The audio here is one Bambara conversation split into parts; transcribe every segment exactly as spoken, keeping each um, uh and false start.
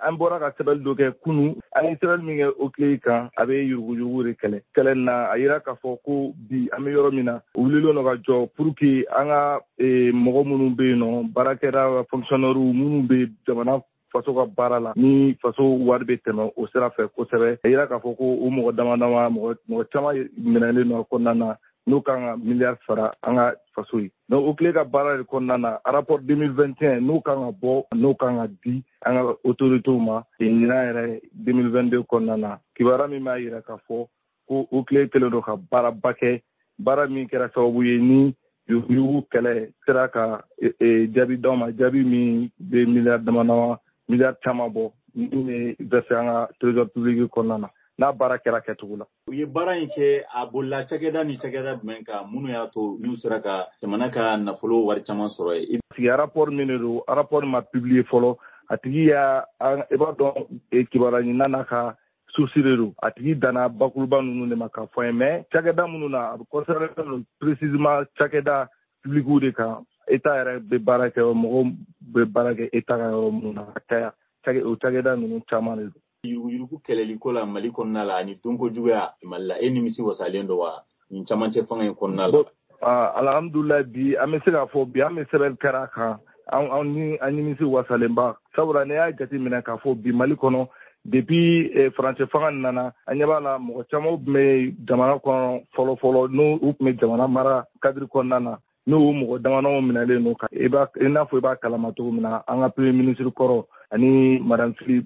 An bɔra ka sɛbɛnni dɔ kɛ kunun. An ye sɛbɛnni min kɛ O C L E kan, a bɛ yuruguyurugu de kɛlɛ. Kɛlɛ na, a yira k'a fɔ ko bi an bɛ yɔrɔ min na, u wulilen don ka jɔ pour que an ka mɔgɔ minnu bɛ yen nɔ, baarakɛla, fonctionnaire minnu bɛ jamana faso ka baara la, ni faso wari bɛ tɛmɛ o sira fɛ kosɛbɛ. A yira k'a fɔ ko o mɔgɔ dama dama, mɔgɔ caman minɛlen don a kɔnɔna na, n'o kan ka miliyari sara an ka faso ye. Donc O C L E ka baara de kɔnɔna na, rapport deux mille vingt et un n'o kan ka bɔ, n'o kan ka di an ka autorités ma ɲinan yɛrɛ deux mille vingt-deux kɔnɔna na, kibaruya min b'a yira k'a fɔ ko O C L E kɛlen don ka baaraba kɛ, baara min kɛra sababu ye ni yuruguyurugu kɛlɛ sera ka jaabi d'aw ma, jaabi min bɛ miliyari dama dama, miliyari caman bɔ, min bɛ verser an ka trésor public kɔnɔna na, n'a baara kɛra kɛcogo la. U ye baara in kɛ, a bolila cakɛda ni cakɛda jumɛn kan, minnu y'a to n'u sera ka jamana ka nafolo wari caman sɔrɔ yen? Parce que rapport min de don, rapport ma publier fɔlɔ. A tigi y'a, i b'a dɔn, kibaruya ɲinina n'a ka source de don. A tigi danna bakuruba ninnu de ma k'a fɔ an ye, mais cakɛda minnu na, a bɛ concerné don précisément cakɛda publics de kan, État yɛrɛ bɛ baara kɛ, mɔgɔw bɛ baara kɛ État ka yɔrɔ minnu na ka caya, o cakɛda ninnu caman de don. Yuruguyurugu kɛlɛliko la Mali kɔnɔna la ani dunko juguya Mali la, e nimisi wasalen don wa nin camancɛ fanga in kɔnɔna la? Alhamdulilayi, bi an bɛ se k'a fɔ bi an bɛ sɛbɛnni kɛra a kan, an ni an nimisi wasalenba, sabula n'i y'a jateminɛ k'a fɔ bi Mali kɔnɔ, depuis farancɛ fanga nana, an ɲɛ b'a la, mɔgɔ caman tun bɛ jamana kɔnɔ fɔlɔ fɔlɔ, n'u tun bɛ jamana mara cadre kɔnɔna na, n'o mɔgɔ damadɔ minɛlen don, i b'a i n'a fɔ i b'a kalama cogo min na, an ka premier ministre kɔrɔ ani madame Fily,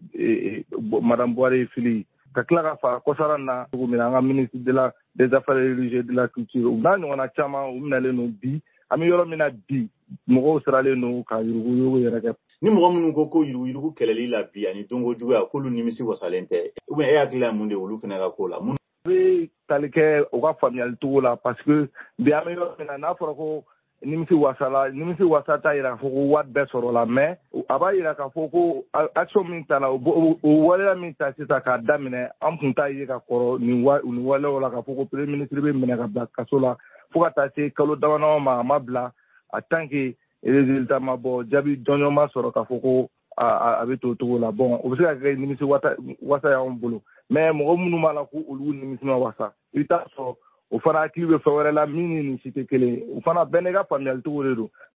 madame Bouaré Fily, ka tila ka fara kɔsara na cogo min na, an ka ministre de la des Affaires religieuses, de la Culture, u n'a ɲɔgɔnna caman, u minɛlen don. Bi an bɛ yɔrɔ min na bi, mɔgɔw siralen don ka yuruguyurugu yɛrɛ kɛ. Ni mɔgɔ minnu ko ko yuruguyurugu kɛlɛli la bi ani donko juguya, k'olu nimisi wasalen tɛ, ou bien e hakili la mun de olu fana ka ko la? Mun bɛ tali kɛ u ka faamuyali cogo la? Parce que bi an bɛ yɔrɔ min na, n'a fɔra ko nimisi wasala, nimisi wasa t'a yira k'a fɔ ko wari bɛɛ sɔrɔla, mais a b'a yira k'a fɔ ko action min tala, o waleya min ta sisan k'a daminɛ, an tun t'a ye ka kɔrɔ nin wa nin waleyaw la, k'a fɔ ko premier ministre bɛ minɛ ka bila kaso la fo ka taa se kalo damadama ma, a ma bila en tant que résultat ma bɔ, jaabi jɔnjɔn ma sɔrɔ k'a fɔ ko a bɛ to o cogo la. Bon, o bɛ se ka kɛ nimisi wasa y'anw bolo, mais mɔgɔ minnu b'a la ko olu nimisi ma wasa, i bɛ taa sɔrɔ o fana hakili bɛ fɛn wɛrɛ la min ni nin si tɛ kelen ye. O fana bɛɛ n'i ka faamuyali cogo de don.